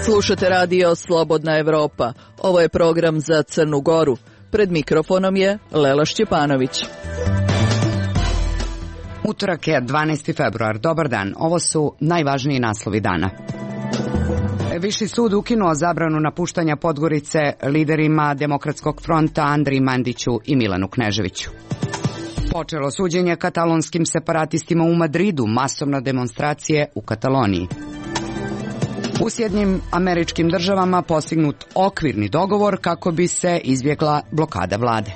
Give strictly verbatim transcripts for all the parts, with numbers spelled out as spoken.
Slušate radio Slobodna Evropa. Ovo je program za Crnu Goru. Pred mikrofonom je Lela Šćepanović. Utorak je dvanaesti februar. Dobar dan. Ovo su najvažniji naslovi dana. Viši sud ukinuo zabranu napuštanja Podgorice liderima Demokratskog fronta Andriji Mandiću i Milanu Kneževiću. Počelo suđenje katalonskim separatistima u Madridu, masovne demonstracije u Kataloniji. U Sjedinjenim Američkim Državama postignut okvirni dogovor kako bi se izbjegla blokada vlade.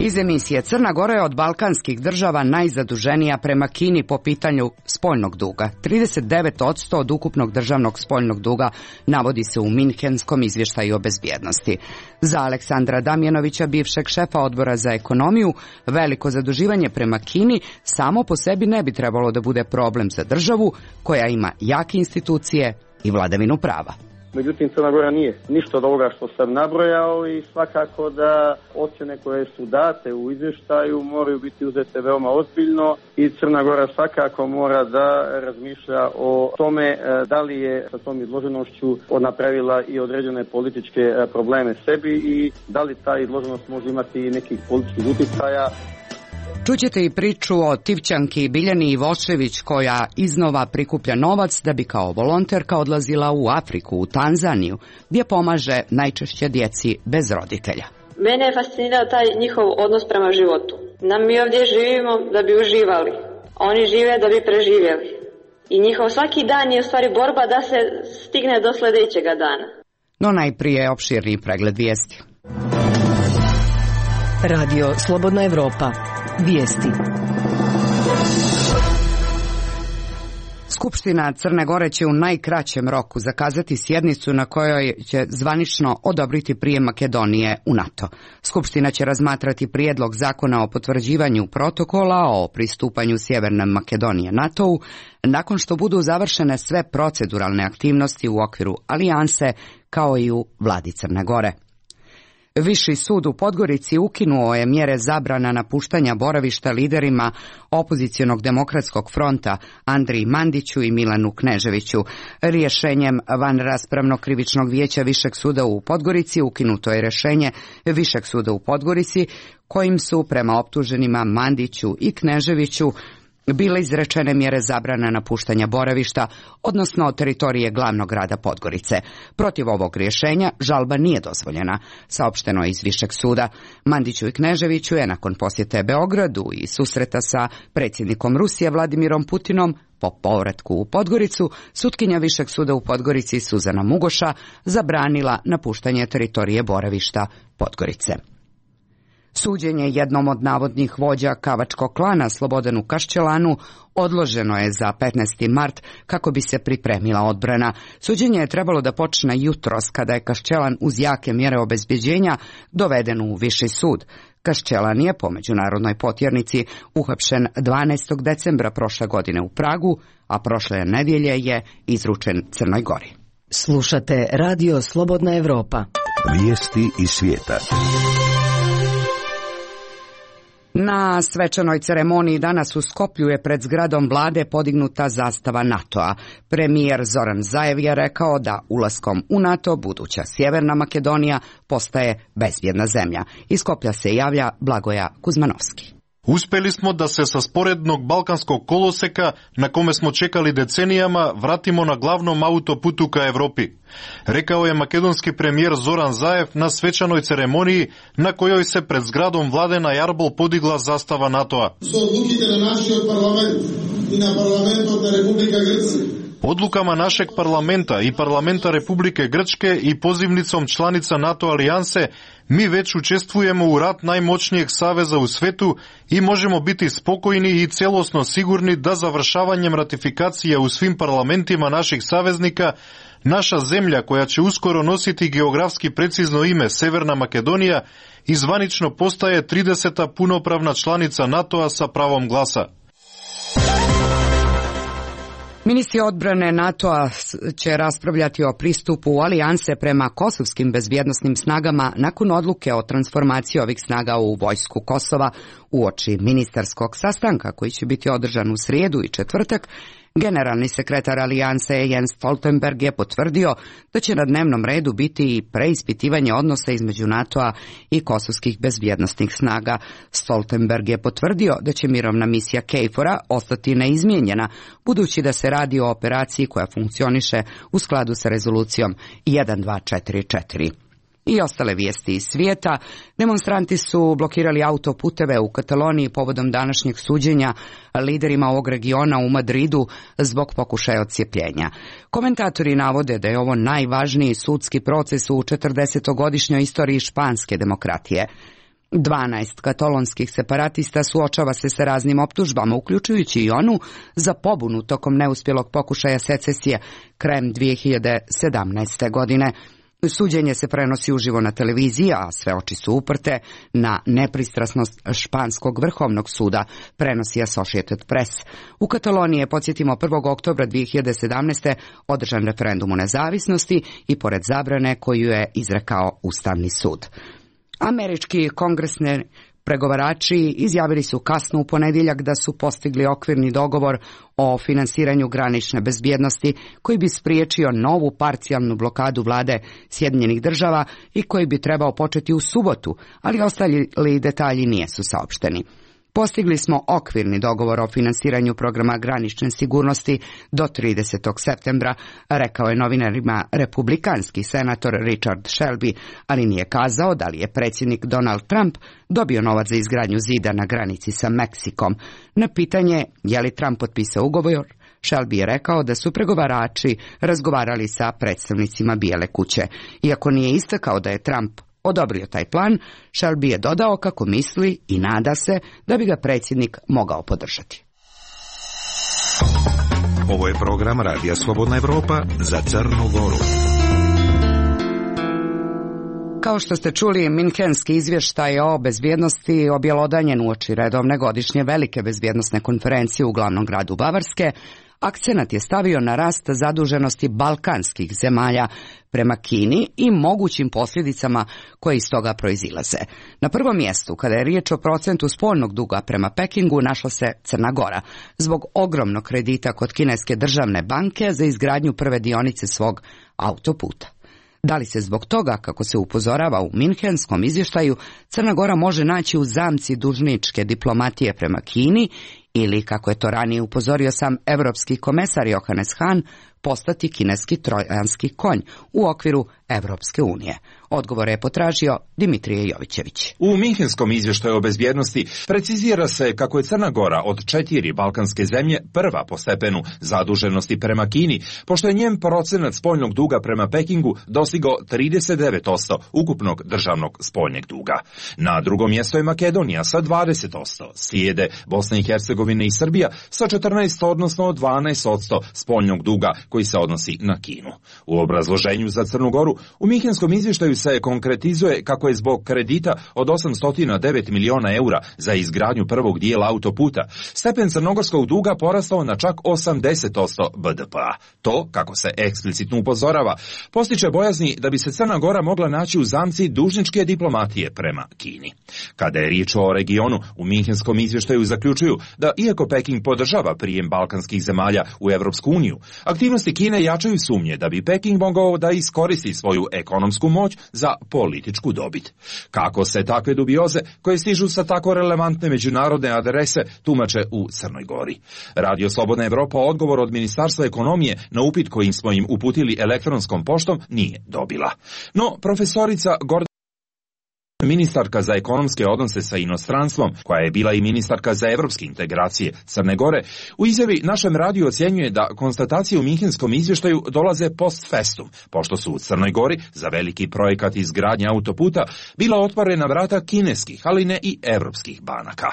Iz emisije Crna Gora je od balkanskih država najzaduženija prema Kini po pitanju spoljnog duga. trideset devet posto od ukupnog državnog spoljnog duga navodi se u Minhenskom izvještaju o bezbjednosti. Za Aleksandra Damjanovića, bivšeg šefa odbora za ekonomiju, veliko zaduživanje prema Kini samo po sebi ne bi trebalo da bude problem za državu koja ima jake institucije i vladavinu prava. Međutim, Crna Gora nije ništa od ovoga što sam nabrojao i svakako da ocjene koje su date u izvještaju moraju biti uzete veoma ozbiljno i Crna Gora svakako mora da razmišlja o tome da li je sa tom izloženošću napravila i određene političke probleme sebi i da li ta izloženost može imati nekih političkih utjecaja. Čućete i priču o Tivčanki Biljani Ivošević koja iznova prikuplja novac da bi kao volonterka odlazila u Afriku, u Tanzaniju, gdje pomaže najčešće djeci bez roditelja. Mene je fascinirao taj njihov odnos prema životu. Nam mi ovdje živimo da bi uživali, a oni žive da bi preživjeli. I njihov svaki dan je u stvari borba da se stigne do sljedećega dana. No najprije opširni pregled vijesti. Radio Slobodna Evropa. Vijesti. Skupština Crne Gore će u najkraćem roku zakazati sjednicu na kojoj će zvanično odobriti prijem Makedonije u NATO. Skupština će razmatrati prijedlog zakona o potvrđivanju protokola o pristupanju Sjeverne Makedonije NATO-u nakon što budu završene sve proceduralne aktivnosti u okviru alijanse kao i u vladi Crne Gore. Viši sud u Podgorici ukinuo je mjere zabrana napuštanja boravišta liderima opozicionog Demokratskog fronta Andriji Mandiću i Milanu Kneževiću. Rješenjem vanraspravnog krivičnog vijeća Višeg suda u Podgorici ukinuto je rješenje Višeg suda u Podgorici kojim su prema optuženima Mandiću i Kneževiću bile izrečene mjere zabrana napuštanja boravišta, odnosno teritorije glavnog grada Podgorice. Protiv ovog rješenja žalba nije dozvoljena, saopšteno je iz Višeg suda. Mandiću i Kneževiću je nakon posjete Beogradu i susreta sa predsjednikom Rusije Vladimirom Putinom po povratku u Podgoricu, sutkinja Višeg suda u Podgorici Suzana Mugoša zabranila napuštanje teritorije boravišta Podgorice. Suđenje jednom od navodnih vođa kavačkog klana Slobodanu Kaščelanu odloženo je za petnaesti mart kako bi se pripremila odbrana. Suđenje je trebalo da počne jutros kada je Kaščelan uz jake mjere obezbjeđenja doveden u Viši sud. Kaščelan je po međunarodnoj potjernici uhapšen dvanaestog decembra prošle godine u Pragu, a prošle nedjelje je izručen Crnoj Gori. Slušate radio Slobodna Evropa. Vijesti iz svijeta. Na svečanoj ceremoniji danas u Skoplju je pred zgradom vlade podignuta zastava NATO-a. Premijer Zoran Zaev je rekao da ulaskom u NATO buduća Sjeverna Makedonija postaje bezbjedna zemlja. Iz Skoplja se javlja Blagoja Kuzmanovski. Uspeli smo da se sa sporednog balkanskog koloseka, na kome smo čekali decenijama, vratimo na glavnom autoputu ka Evropi. Rekao je makedonski premijer Zoran Zaev na svečanoj ceremoniji na kojoj se pred zgradom vlade na Jarbol podigla zastava NATO-a. Odlukama našeg parlamenta i parlamenta Republike Grčke i pozivnicom članica NATO alijanse mi već učestvujemo u rat najmoćnijeg saveza u svetu i možemo biti spokojni i celosno sigurni da završavanjem ratifikacija u svim parlamentima naših saveznika naša zemlja, koja će uskoro nositi geografski precizno ime Severna Makedonija, izvanično postaje trideseta punopravna članica NATO-a sa pravom glasa. Ministri odbrane NATO-a će raspravljati o pristupu alijanse prema kosovskim bezbjednosnim snagama nakon odluke o transformaciji ovih snaga u vojsku Kosova uoči ministarskog sastanka koji će biti održan u srijedu i četvrtak. Generalni sekretar Alijanse Jens Stoltenberg je potvrdio da će na dnevnom redu biti i preispitivanje odnosa između NATO-a i kosovskih bezbjednosnih snaga. Stoltenberg je potvrdio da će mirovna misija KFOR-a ostati neizmijenjena, budući da se radi o operaciji koja funkcioniše u skladu sa rezolucijom jedan dva četiri četiri. I ostale vijesti iz svijeta. Demonstranti su blokirali autoputeve u Kataloniji povodom današnjeg suđenja liderima ovog regiona u Madridu zbog pokušaja odcijepljenja. Komentatori navode da je ovo najvažniji sudski proces u četrdesetogodišnjoj istoriji španske demokratije. dvanaest katalonskih separatista suočava se sa raznim optužbama, uključujući i onu za pobunu tokom neuspjelog pokušaja secesije krajem dvije hiljade sedamnaeste. godine. Suđenje se prenosi uživo na televiziji, a sve oči su uprte na nepristrasnost španskog vrhovnog suda, prenosi Associated Press. U Kataloniji je, podsjetimo, prvog oktobra dvije hiljade sedamnaeste. održan referendum o nezavisnosti i pored zabrane koju je izrekao Ustavni sud. Američki kongresni pregovarači izjavili su kasno u ponedjeljak da su postigli okvirni dogovor o finansiranju granične bezbjednosti koji bi spriječio novu parcijalnu blokadu vlade Sjedinjenih država i koji bi trebao početi u subotu, ali ostali detalji nisu saopšteni. Postigli smo okvirni dogovor o finansiranju programa granične sigurnosti do tridesetog septembra, rekao je novinarima republikanski senator Richard Shelby, ali nije kazao da li je predsjednik Donald Trump dobio novac za izgradnju zida na granici sa Meksikom. Na pitanje je li Trump potpisao ugovor, Shelby je rekao da su pregovarači razgovarali sa predstavnicima Bijele kuće. Iako nije istakao da je Trump odobrio taj plan, Shelby je dodao kako misli i nada se da bi ga predsjednik mogao podržati. Ovo je program Radija Slobodna Evropa za Crnu Goru. Kao što ste čuli, Minhenski izvještaj o bezbjednosti objelodanjen uoči redovne godišnje velike bezbjednosne konferencije u glavnom gradu Bavarske. Akcenat je stavio na rast zaduženosti balkanskih zemalja prema Kini i mogućim posljedicama koje iz toga proizilaze. Na prvom mjestu, kada je riječ o procentu spoljnog duga prema Pekingu, našla se Crna Gora, zbog ogromnog kredita kod kineske državne banke za izgradnju prve dionice svog autoputa. Da li se zbog toga, kako se upozorava u Minhenskom izvještaju, Crna Gora može naći u zamci dužničke diplomatije prema Kini ili, kako je to ranije upozorio sam evropski komesar Johannes Hahn, postati kineski trojanski konj u okviru Evropske unije? Odgovor je potražio Dimitrije Jovićević. U Minhenskom izvještaju o bezbjednosti precizira se kako je Crna Gora od četiri balkanske zemlje prva po stepenu zaduženosti prema Kini, pošto je njen procenat spoljnog duga prema Pekingu dostigao trideset devet posto ukupnog državnog spoljnjeg duga. Na drugom mjestu je Makedonija sa dvadeset posto, slijede Bosna i Hercegovina i Srbija sa četrnaest, odnosno dvanaest posto spoljnog duga koji se odnosi na Kinu. U obrazloženju za Crnu Goru u Minhenskom izvještaju se konkretizuje kako je zbog kredita od osamsto devet miliona eura za izgradnju prvog dijela autoputa stepen crnogorskog duga porastao na čak osamdeset posto B D P-a. To, kako se eksplicitno upozorava, postiče bojazni da bi se Crna Gora mogla naći u zamci dužničke diplomatije prema Kini. Kada je riječ o regionu, u Minhenskom izvještaju zaključuju da iako Peking podržava prijem balkanskih zemalja u Evropsku uniju, aktivnosti Kine jačaju sumnje da bi Peking mogao da iskoristi svoju ekonomsku moć za političku dobit. Kako se takve dubioze, koje stižu sa tako relevantne međunarodne adrese, tumače u Crnoj Gori? Radio Slobodna Evropa odgovor od Ministarstva ekonomije na upit kojim smo im uputili elektronskom poštom nije dobila. No, profesorica Gordana, ministarka za ekonomske odnose sa inostranstvom, koja je bila i ministarka za evropske integracije Crne Gore, u izjavi našem radiju ocjenjuje da konstatacije u Minhenskom izvještaju dolaze post festum, pošto su u Crnoj Gori za veliki projekat izgradnje autoputa bila otvorena vrata kineskih, ali ne i evropskih banaka.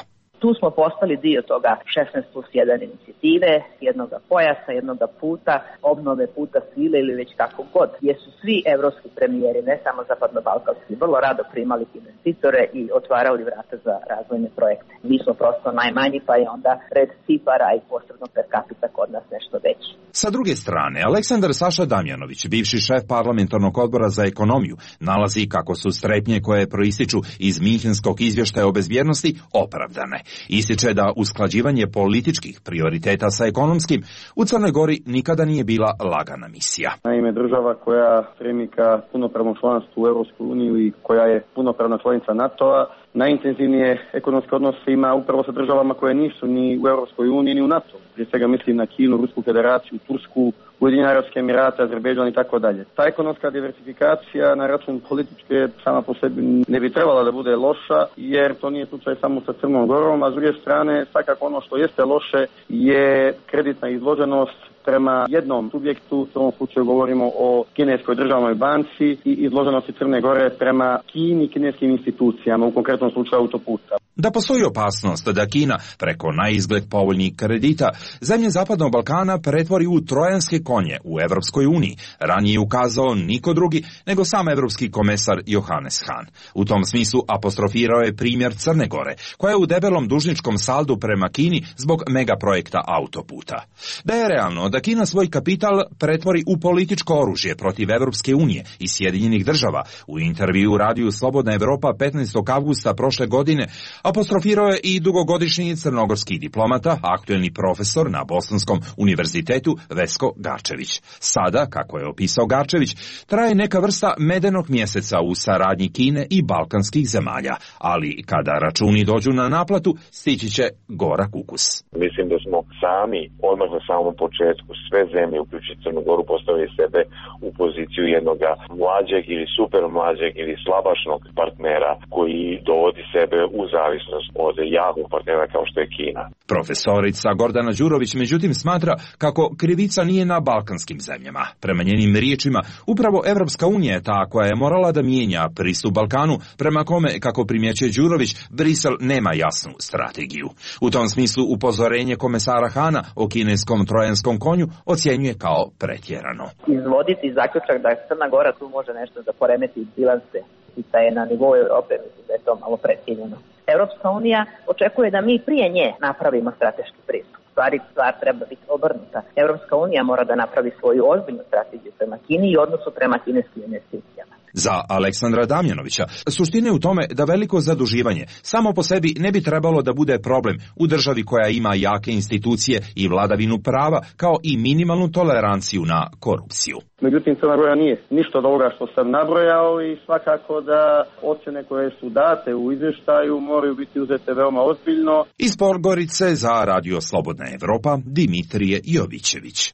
Tu smo postali dio toga šesnaest plus jedan inicijative, jednoga pojasa, jednoga puta, obnove puta svile ili već kako god, gdje su svi evropski premijeri, ne samo zapadno-balkanski, vrlo rado primali investitore i otvarali vrata za razvojne projekte. Mi smo prosto najmanji, pa je onda red cifara i posredno per capita kod nas nešto veći. Sa druge strane, Aleksandar Saša Damjanović, bivši šef parlamentarnog odbora za ekonomiju, nalazi kako su strepnje koje proističu iz Minhenskog izvještaja o bezbjednosti opravdane. Ističe da usklađivanje političkih prioriteta sa ekonomskim u Crnoj Gori nikada nije bila lagana misija. Naime, država koja stremi ka punopravnom članstvu u Europskoj uniji i koja je punopravna članica NATO-a, najintenzivnije ekonomske odnose ima upravo sa državama koje nisu ni u Europskoj uniji ni u NATO. Prije svega mislim na Kinu, Rusku federaciju, Tursku, Ujedinjene Arapske Emirate, Azerbejdžan i tako dalje. Ta ekonomska diversifikacija na račun političke sama po sebi ne bi trebala da bude loša, jer to nije slučaj samo sa Crnom Gorom, a s druge strane svakako ono što jeste loše je kreditna izloženost prema jednom subjektu, u ovom slučaju govorimo o kineskoj državnoj banci i izloženosti Crne Gore prema Kini i kineskim institucijama, u konkretnom slučaju autoputa. Da postoji opasnost da Kina preko naizgled povoljnih kredita zemlje Zapadnog Balkana pretvori u trojanske konje u Evropskoj uniji, ranije ukazao niko drugi nego sam evropski komesar Johannes Hahn. U tom smislu apostrofirao je primjer Crne Gore, koja je u debelom dužničkom saldu prema Kini zbog megaprojekta autoputa. Da je realno da Kina svoj kapital pretvori u političko oružje protiv Evropske unije i Sjedinjenih država, u intervju u radiju Slobodna Evropa petnaestog avgusta prošle godine apostrofirao je i dugogodišnji crnogorski diplomata, aktuelni profesor na Bosanskom univerzitetu Vesko Garčević. Sada, kako je opisao Garčević, traje neka vrsta medenog mjeseca u saradnji Kine i balkanskih zemalja, ali kada računi dođu na naplatu, stići će gorak ukus. Mislim da smo sami, odmah na samom početku, sve zemlje, uključujući Crnu Goru, postavili sebe u poziciju jednog mlađeg ili super mlađeg ili slabašnog partnera koji dovodi sebe u zavisnost od jakog partnera kao što je Kina. Profesorica Gordana Đurović međutim smatra kako krivica nije na balkanskim zemljama. Prema njenim riječima, upravo Evropska unija je ta koja je morala da mijenja pristup Balkanu, prema kome, kako primjećuje Đurović, Brisel nema jasnu strategiju. U tom smislu upozorenje komesara Hana o kineskom trojanskom konju ocjenjuje kao pretjerano. Izvoditi zaključak da Crna Gora tu može nešto da poremeti bilanse i da je na nivou Europe, mislim da je to malo pretjerano. Evropska unija očekuje da mi prije nje napravimo strateški pristup. Stvari, stvar treba biti obrnuta. Evropska unija mora da napravi svoju ozbiljnu strategiju prema Kini i odnosu prema kineskim investicijama. Za Aleksandra Damjanovića suština je u tome da veliko zaduživanje samo po sebi ne bi trebalo da bude problem u državi koja ima jake institucije i vladavinu prava, kao i minimalnu toleranciju na korupciju. Međutim, Crna Gora nije ništa od ovoga što sam nabrojao i svakako da ocjene koje su date u izvještaju moraju biti uzete veoma ozbiljno. Iz Podgorice za Radio Slobodna Evropa, Dimitrije Jovićević.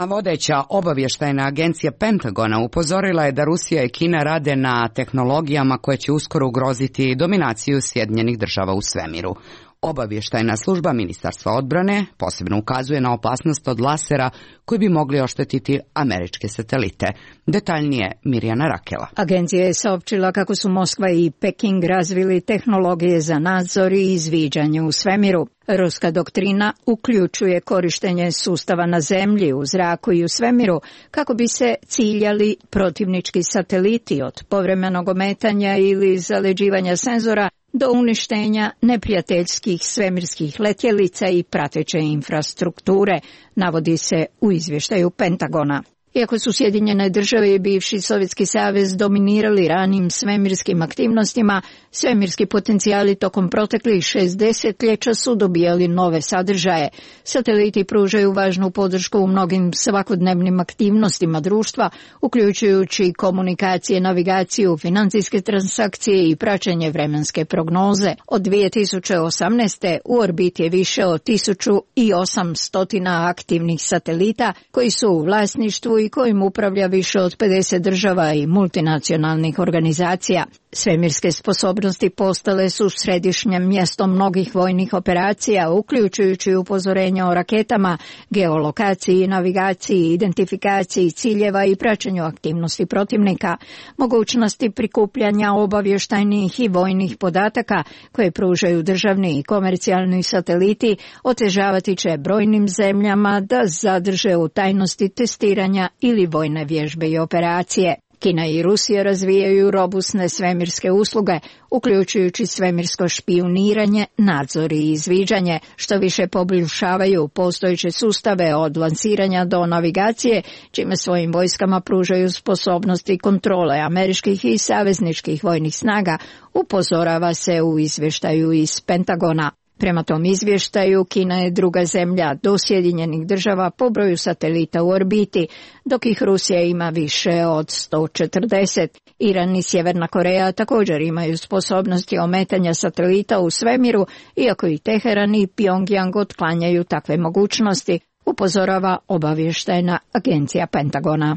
A vodeća obavještajna agencija Pentagona upozorila je da Rusija i Kina rade na tehnologijama koje će uskoro ugroziti dominaciju Sjedinjenih država u svemiru. Obavještajna služba Ministarstva odbrane posebno ukazuje na opasnost od lasera koji bi mogli oštetiti američke satelite. Detaljnije Mirjana Rakela. Agencija je saopćila kako su Moskva i Peking razvili tehnologije za nadzor i izviđanje u svemiru. Ruska doktrina uključuje korištenje sustava na zemlji, u zraku i u svemiru kako bi se ciljali protivnički sateliti, od povremenog ometanja ili zaleđivanja senzora do uništenja neprijateljskih svemirskih letjelica i prateće infrastrukture, navodi se u izvještaju Pentagona. Iako su Sjedinjene države i bivši Sovjetski savez dominirali ranim svemirskim aktivnostima, svemirski potencijali tokom proteklih šest desetljeća su dobijali nove sadržaje. Sateliti pružaju važnu podršku u mnogim svakodnevnim aktivnostima društva, uključujući komunikacije, navigaciju, financijske transakcije i praćenje vremenske prognoze. Od dvije tisuće osamnaeste. u orbiti je više od tisuću osamsto aktivnih satelita koji su u vlasništvu i kojim upravlja više od pedeset država i multinacionalnih organizacija. Svemirske sposobnosti postale su središnjem mjestom mnogih vojnih operacija, uključujući upozorenja o raketama, geolokaciji, navigaciji, identifikaciji ciljeva i praćenju aktivnosti protivnika. Mogućnosti prikupljanja obavještajnih i vojnih podataka koje pružaju državni i komercijalni sateliti otežavati će brojnim zemljama da zadrže u tajnosti testiranja ili vojne vježbe i operacije. Kina i Rusija razvijaju robustne svemirske usluge, uključujući svemirsko špijuniranje, nadzor i izviđanje, što više poboljšavaju postojeće sustave od lansiranja do navigacije, čime svojim vojskama pružaju sposobnosti kontrole američkih i savezničkih vojnih snaga, upozorava se u izvještaju iz Pentagona. Prema tom izvještaju, Kina je druga zemlja do Sjedinjenih država po broju satelita u orbiti, dok ih Rusija ima više od sto četrdeset. Iran i Sjeverna Koreja također imaju sposobnosti ometanja satelita u svemiru, iako i Teheran i Pjongjang otklanjaju takve mogućnosti, upozorava obavještajna agencija Pentagona.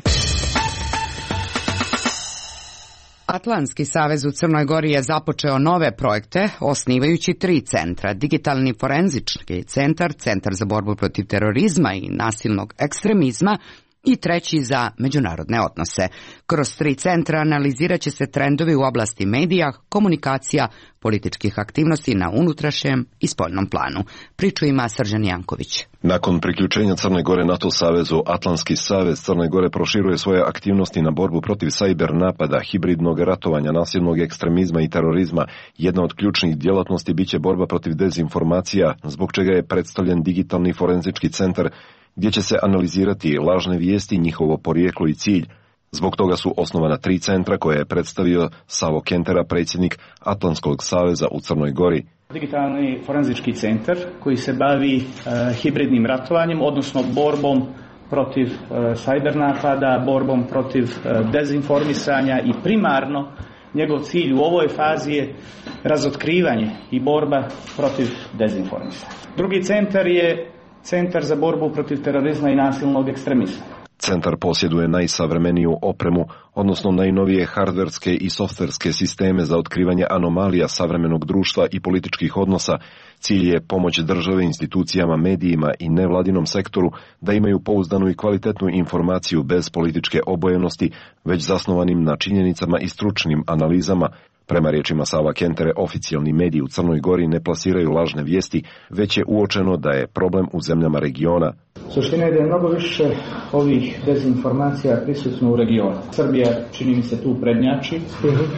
Atlantski savez u Crnoj Gori je započeo nove projekte, osnivajući tri centra: digitalni forenzički centar, centar za borbu protiv terorizma i nasilnog ekstremizma i treći za međunarodne odnose. Kroz tri centra analizirat će se trendovi u oblasti medija, komunikacija, političkih aktivnosti na unutrašnjem i spoljnom planu. Priču ima Srđan Janković. Nakon priključenja Crne Gore NATO savezu, Atlantski savez Crne Gore proširuje svoje aktivnosti na borbu protiv sajber napada, hibridnog ratovanja, nasilnog ekstremizma i terorizma. Jedna od ključnih djelatnosti biće borba protiv dezinformacija, zbog čega je predstavljen digitalni forenzički centar, gdje će se analizirati lažne vijesti, njihovo porijeklo i cilj. Zbog toga su osnovana tri centra koje je predstavio Savo Kentera, predsjednik Atlantskog saveza u Crnoj Gori. Digitalni forenzički centar koji se bavi uh, hibridnim ratovanjem, odnosno borbom protiv uh, sajber napada, borbom protiv uh, dezinformisanja i primarno njegov cilj u ovoj fazi je razotkrivanje i borba protiv dezinformisanja. Drugi centar je Centar za borbu protiv terorizma i nasilnog ekstremizma. Centar posjeduje najsavremeniju opremu, odnosno najnovije hardverske i softverske sisteme za otkrivanje anomalija savremenog društva i političkih odnosa. Cilj je pomoć države, institucijama, medijima i nevladinom sektoru da imaju pouzdanu i kvalitetnu informaciju bez političke obojenosti, već zasnovanim na činjenicama i stručnim analizama. Prema riječima Sava Kentere, oficijalni mediji u Crnoj Gori ne plasiraju lažne vijesti, već je uočeno da je problem u zemljama regiona. Suština je da je mnogo više ovih dezinformacija prisutno u regionu. Srbija, čini mi se, tu prednjači,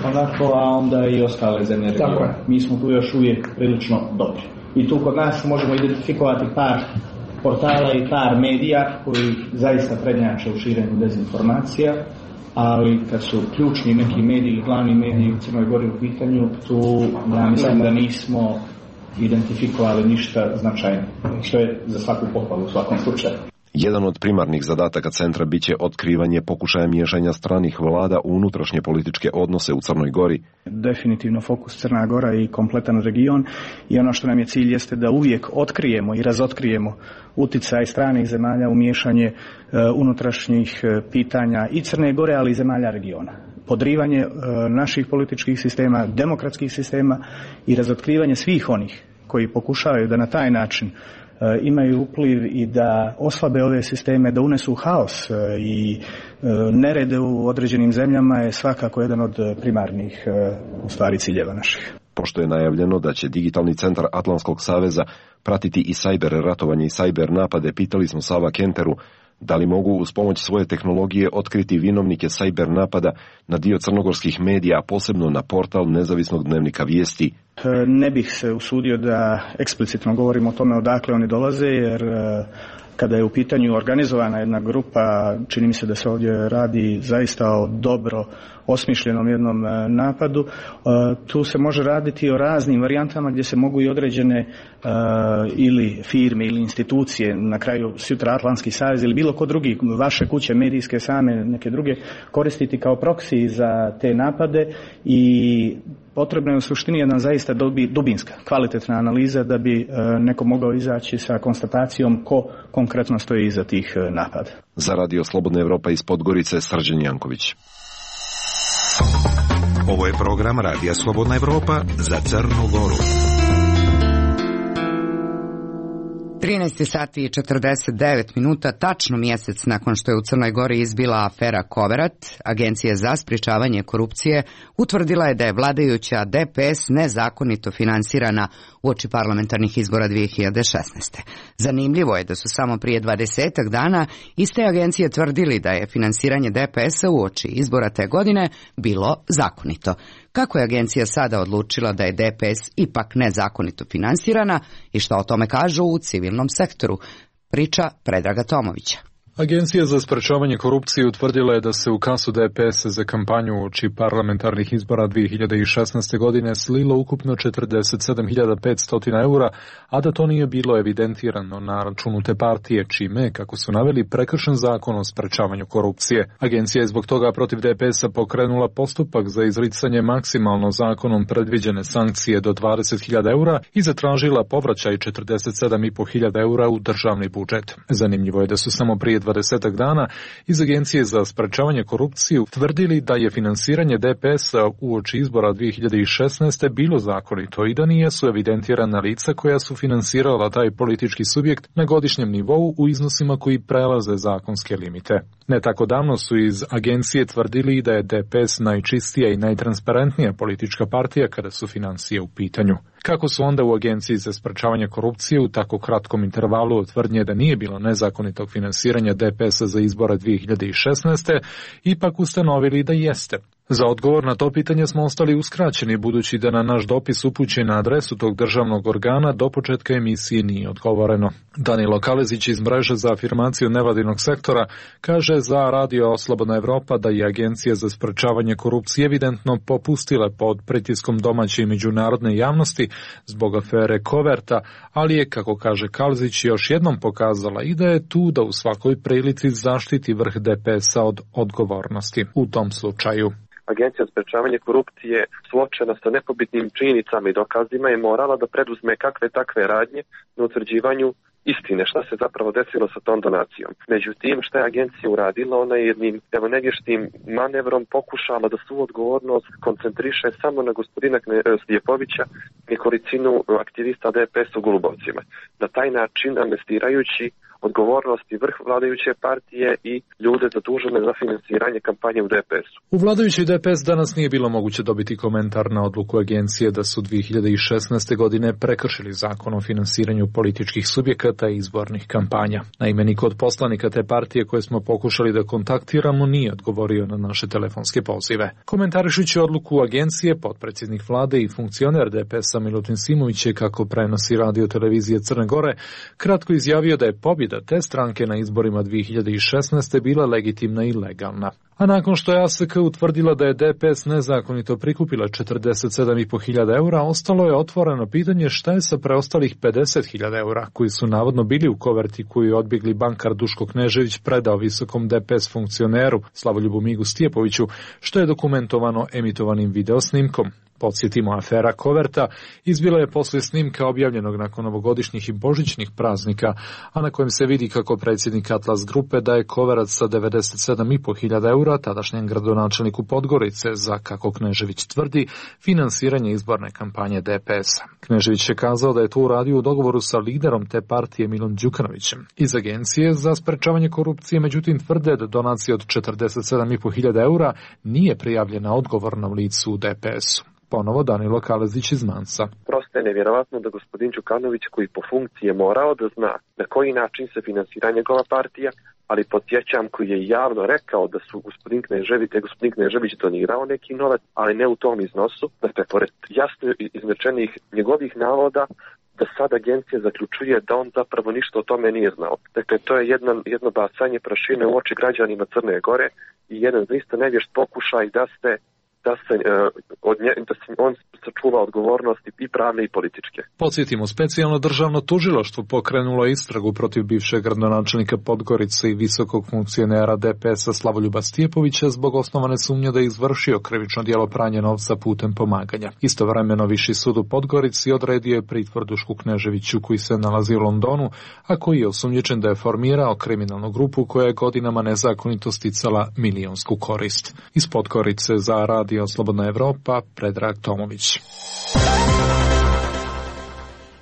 onako, a onda i ostale zemlje regiona. Mi smo tu još uvijek prilično dobri. I tu kod nas možemo identifikovati par portala i par medija koji zaista prednjače u širenju dezinformacija, ali kad su ključni neki mediji, glavni mediji u Crnoj Gori u pitanju, tu ja mislim da nismo identifikovali ništa značajno, što je za svaku pohvalu u svakom slučaju. Jedan od primarnih zadataka centra biće otkrivanje pokušaja miješanja stranih vlada u unutrašnje političke odnose u Crnoj Gori. Definitivno fokus Crna Gora i kompletan region, i ono što nam je cilj jeste da uvijek otkrijemo i razotkrijemo uticaj stranih zemalja u miješanje uh, unutrašnjih uh, pitanja i Crne Gore, ali i zemalja regiona. Podrivanje uh, naših političkih sistema, demokratskih sistema i razotkrivanje svih onih koji pokušavaju da na taj način imaju upliv i da oslabe ove sisteme, da unesu haos i nerede u određenim zemljama je svakako jedan od primarnih u stvari ciljeva naših. Pošto je najavljeno da će digitalni centar Atlantskog saveza pratiti i sajber ratovanje i sajber napade, pitali smo Sava Kenteru da li mogu uz pomoć svoje tehnologije otkriti vinovnike sajber napada na dio crnogorskih medija, posebno na portal nezavisnog dnevnika vijesti. Ne bih se usudio da eksplicitno govorim o tome odakle oni dolaze, jer kada je u pitanju organizovana jedna grupa, čini mi se da se ovdje radi zaista o dobro osmišljenom jednom napadu. Tu se može raditi o raznim varijantama gdje se mogu i određene uh, ili firme ili institucije, na kraju sutra Atlantski savez ili bilo ko drugi, vaše kuće medijske same, neke druge, koristiti kao proksi za te napade, i potrebna je u suštini jedna zaista dobi, dubinska, kvalitetna analiza da bi uh, neko mogao izaći sa konstatacijom ko konkretno stoji iza tih uh, napada. Za Radio Slobodna Evropa iz Podgorice, Srđan Janković. Ovo je program Radija Slobodna Evropa za Crnu Goru. trinaest sati i četrdeset devet minuta, tačno mjesec nakon što je u Crnoj Gori izbila afera Koverat, Agencija za sprječavanje korupcije utvrdila je da je vladajuća D P S nezakonito finansirana uoči parlamentarnih izbora dvije hiljade šesnaeste. Zanimljivo je da su samo prije dvadesetak dana iste agencije tvrdili da je finansiranje D P S-a uoči izbora te godine bilo zakonito. Kako je agencija sada odlučila da je D P S ipak nezakonito finansirana i šta o tome kažu u civilnom sektoru? Priča Predraga Tomovića. Agencija za sprečavanje korupcije utvrdila je da se u kasu D P S za kampanju uoči parlamentarnih izbora dvije hiljade šesnaeste. godine slilo ukupno četrdeset sedam hiljada petsto eura, a da to nije bilo evidentirano na računu te partije, čime, kako su naveli, prekršen zakon o sprečavanju korupcije. Agencija je zbog toga protiv D P S-a pokrenula postupak za izricanje maksimalno zakonom predviđene sankcije do dvadeset hiljada eura i zatražila povraćaj četrdeset sedam i po hiljada eura u državni budžet. Zanimljivo je da su samo prije dvadesetak dana iz Agencije za sprečavanje korupcije tvrdili da je finansiranje D P S-a uoči izbora dvije hiljade šesnaeste. bilo zakonito i da nijesu evidentirana lica koja su finansirala taj politički subjekt na godišnjem nivou u iznosima koji prelaze zakonske limite. Ne tako davno su iz agencije tvrdili da je D P S najčistija i najtransparentnija politička partija kada su financije u pitanju. Kako su onda u Agenciji za sprečavanje korupcije u tako kratkom intervalu od tvrdnje da nije bilo nezakonitog finansiranja D P S-a za izbore dvije hiljade šesnaeste. ipak ustanovili da jeste? Za odgovor na to pitanje smo ostali uskraćeni, budući da na naš dopis upućen na adresu tog državnog organa do početka emisije nije odgovoreno. Danilo Kalezić iz mreže za afirmaciju nevladinog sektora kaže za Radio Slobodna Evropa da je Agencija za sprečavanje korupcije evidentno popustila pod pritiskom domaće i međunarodne javnosti zbog afere Koverta, ali je, kako kaže Kalezić, još jednom pokazala i da je tu da u svakoj prilici zaštiti vrh D P S-a od odgovornosti. U tom slučaju Agencija za sprečavanje korupcije suočena sa nepobitnim činjenicama i dokazima je morala da preduzme kakve takve radnje na utvrđivanju istine, šta se zapravo desilo sa tom donacijom. Međutim, šta je agencija uradila, ona je jednim evo nevještim manevrom pokušala da svu odgovornost koncentriše samo na gospodina Stjepovića, nekolicinu aktivista D P S u Golubovcima. Na taj način amnestirajući odgovornosti vrh vladajuće partije i ljude zadužene za finansiranje kampanje u D P S-u. U vladajućoj D P S danas nije bilo moguće dobiti komentar na odluku agencije da su dvije hiljade šesnaeste. godine prekršili zakon o finansiranju političkih subjekata i izbornih kampanja. Naime, niko od poslanika te partije koje smo pokušali da kontaktiramo nije odgovorio na naše telefonske pozive. Komentarišući odluku agencije, potpredsjednik vlade i funkcioner D P S-a Milutin Simović je, kako prenosi radio televizije Crne Gore, kratko izjavio da je pobjeda te stranke na izborima dvije hiljade šesnaeste. bila legitimna i legalna. A nakon što je A S K utvrdila da je D P S nezakonito prikupila četrdeset sedam i po hiljada eura, ostalo je otvoreno pitanje šta je sa preostalih pedeset hiljada eura koji su navodno bili u koverti koju je odbjegli bankar Duško Knežević predao visokom D P S funkcioneru Slavoljubu Migu Stjepoviću, što je dokumentovano emitovanim videosnimkom. Podsjetimo, afera Koverta izbila je poslije snimka objavljenog nakon novogodišnjih i božićnih praznika, a na kojem se vidi kako predsjednik Atlas grupe daje koverac sa devedeset sedam i po hiljada eura tadašnjem gradonačelniku Podgorice za, kako Knežević tvrdi, finansiranje izborne kampanje D P S-a. Knežević je kazao da je to uradio u dogovoru sa liderom te partije Milom Đukanovićem. Iz Agencije za sprečavanje korupcije međutim tvrde da donacija od četrdeset sedam i po hiljada eura nije prijavljena odgovornom licu u D P S-u. Ponovo Danilo Kalezić iz Mansa. Prosto je nevjerovatno da gospodin Đukanović, koji po funkciji je morao da zna na koji način se finansira njegova partija, ali podsjećam, koji je javno rekao da su gospodin Knežević, da je gospodin Knežević donirao neki novac, ali ne u tom iznosu, dakle, pored jasno izrečenih njegovih navoda, da sad agencija zaključuje da on zapravo ništa o tome nije znao. Dakle, to je jedno, jedno bacanje prašine u oči građanima Crne Gore i jedan zaista nevješt pokušaj da se da se, od nje, da se on sačuva odgovornosti i pravne i političke. Podsjetimo, specijalno državno tužilaštvo pokrenulo istragu protiv bivšeg gradonačelnika Podgorice i visokog funkcionera D P S-a Slavoljuba Stjepovića zbog osnovane sumnje da je izvršio krivično djelo pranja novca putem pomaganja. Istovremeno Viši sud u Podgorici odredio je pritvor Dušku Kneževiću, koji se nalazi u Londonu, a koji je osumnjičen da je formirao kriminalnu grupu koja je godinama nezakonito sticala milionsku korist. Iz Podgorice za Radio Slobodna Evropa, Predrag Tomović.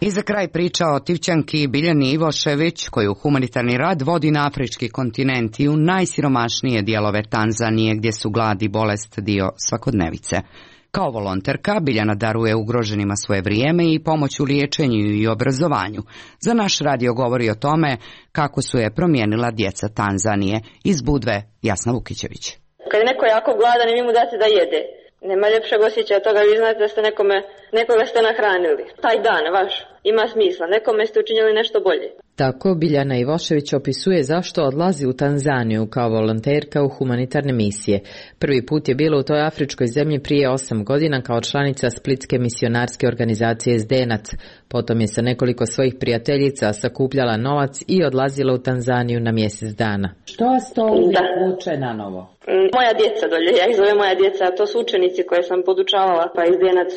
I za kraj priča o Tivćanki Biljani Ivošević, koju humanitarni rad vodi na afrički kontinent i u najsiromašnije dijelove Tanzanije, gdje su glad i bolest dio svakodnevice. Kao volonterka Biljana daruje ugroženima svoje vrijeme i pomoć u liječenju i obrazovanju. Za naš radio govori o tome kako su je promijenila djeca Tanzanije. Iz Budve Jasna Vukićević. Kad je neko jako gladan i vi mu date da jede, nema ljepšeg osjećaja toga, vi znate da ste nekome, nekoga ste nahranili. Taj dan vaš ima smisla, nekome ste učinili nešto bolje. Tako Biljana Ivošević opisuje zašto odlazi u Tanzaniju kao volonterka u humanitarne misije. Prvi put je bila u toj afričkoj zemlji prije osam godina kao članica splitske misionarske organizacije Zdenac. Potom je sa nekoliko svojih prijateljica sakupljala novac i odlazila u Tanzaniju na mjesec dana. Što vas to uvijek vuče na novo? Moja djeca dolje, ja ih zovem moja djeca, to su učenici koje sam podučavala, pa iz Zdenac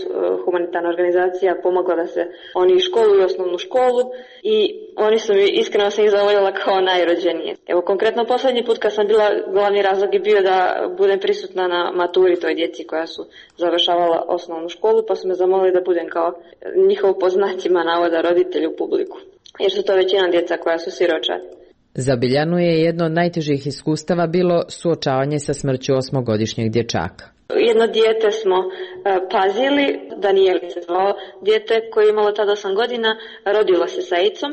humanitarna organizacija pomogla da se oni školuju osnovnu školu i oni su mi, iskreno sam ih zavoljela kao najrođenije. Evo konkretno posljednji put kad sam bila, glavni razlog je bio da budem prisutna na maturi toj djeci koja su završavala osnovnu školu, pa su me zamolili da budem kao njihov po znacima navoda roditelj u publiku, jer su to većina djeca koja su siročadi. Za Biljanu je jedno od najtežih iskustava bilo suočavanje sa smrću osmogodišnjeg dječaka. Jedno dijete smo uh, pazili, Daniel se zvao, dijete koje je imalo tada osam godina, rodilo se sa AIDS-om,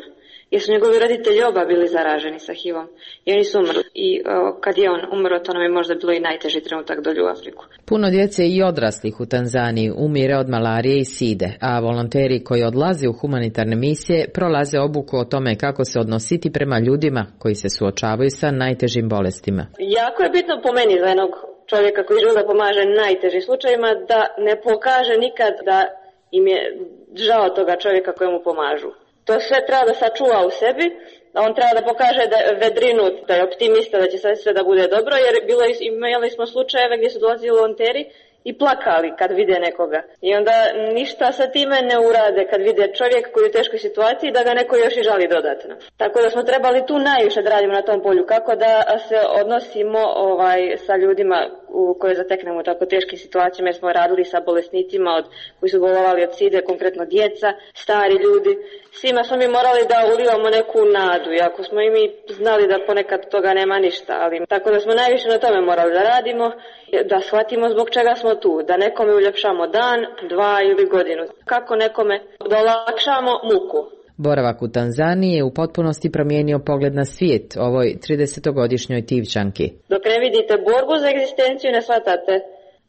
jer su njegovi roditelji oba bili zaraženi sa H I V-om i oni su umrli. I uh, kad je on umro, to nam je možda bilo i najteži trenutak dolje u Afriku. Puno djece i odraslih u Tanzaniji umire od malarije i side, a volonteri koji odlaze u humanitarne misije prolaze obuku o tome kako se odnositi prema ljudima koji se suočavaju sa najtežim bolestima. Jako je bitno po meni za jednog čovjeka koji želi da pomaže najtežim slučajima da ne pokaže nikad da im je žao toga čovjeka kojemu pomažu. To sve treba da sačuva u sebi, a on treba da pokaže da je vedrinut, da je optimista, da će sve, sve da bude dobro, jer bilo, imali smo slučajeve gdje su dolazili volonteri i plakali kad vide nekoga. I onda ništa sa time ne urade kad vide čovjek koji je u teškoj situaciji da ga neko još i žali dodatno. Tako da smo trebali tu najviše da radimo na tom polju, kako da se odnosimo ovaj sa ljudima u koje zateknemo u tako teškim situacijama, jer smo radili sa bolesnicima od, koji su bolovali od side, konkretno djeca, stari ljudi. Svima smo mi morali da ulivamo neku nadu, iako smo i mi znali da ponekad toga nema ništa, ali tako da smo najviše na tome morali da radimo, da shvatimo zbog čega smo tu, da nekome uljepšamo dan, dva ili godinu, kako nekome da olakšamo muku. Boravak u Tanzaniji je u potpunosti promijenio pogled na svijet ovoj tridesetogodišnjoj Tivčanki. Dok ne vidite borbu za egzistenciju, ne shvatate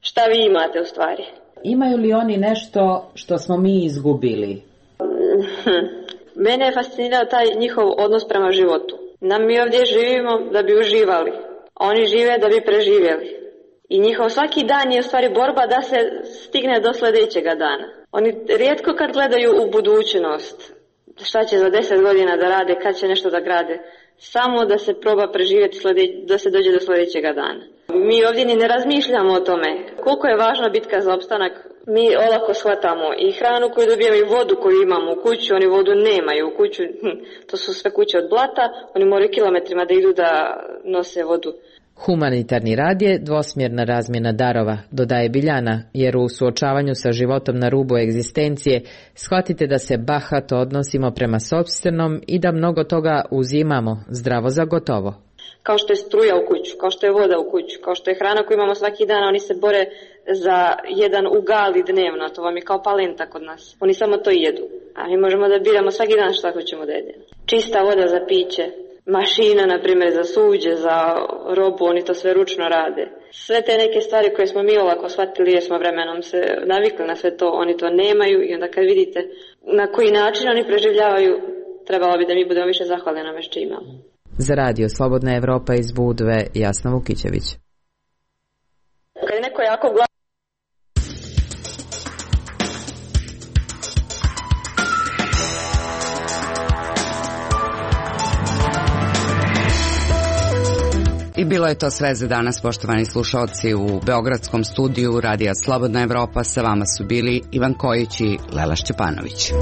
šta vi imate u stvari. Imaju li oni nešto što smo mi izgubili? Mene je fascinirao taj njihov odnos prema životu. Nam mi ovdje živimo da bi uživali, a oni žive da bi preživjeli. I njihov svaki dan je u stvari borba da se stigne do sljedećega dana. Oni rijetko kad gledaju u budućnost, šta će za deset godina da rade, kad će nešto da grade, samo da se proba preživjeti sljedeć, da se dođe do sljedećega dana. Mi ovdje ni ne razmišljamo o tome koliko je važna bitka za opstanak. Mi olako shvatamo i hranu koju dobijemo i vodu koju imamo u kuću, oni vodu nemaju u kuću, hm, to su sve kuće od blata, oni moraju kilometrima da idu da nose vodu. Humanitarni rad je dvosmjerna razmjena darova, dodaje Biljana, jer u suočavanju sa životom na rubu egzistencije shvatite da se bahato odnosimo prema sopstvenom i da mnogo toga uzimamo zdravo za gotovo. Kao što je struja u kuću, kao što je voda u kuću, kao što je hrana koju imamo svaki dan, oni se bore za jedan ugali dnevno, to vam je kao palenta kod nas. Oni samo to jedu, a mi možemo da biramo svaki dan šta hoćemo da jedemo. Čista voda za piće, mašina, na primjer, za suđe, za robu, oni to sve ručno rade. Sve te neke stvari koje smo mi olako shvatili jer smo vremenom se navikli na sve to, oni to nemaju i onda kad vidite na koji način oni preživljavaju, trebalo bi da mi budemo više zahvalni na što imamo. Za radio Slobodna Evropa iz Budve, Jasna Vukićević. Kad je neko jako gladan, I bilo je to sve za danas, poštovani slušalci. U beogradskom studiju Radija Slobodna Evropa sa vama su bili Ivan Kojić i Lela Šćepanović.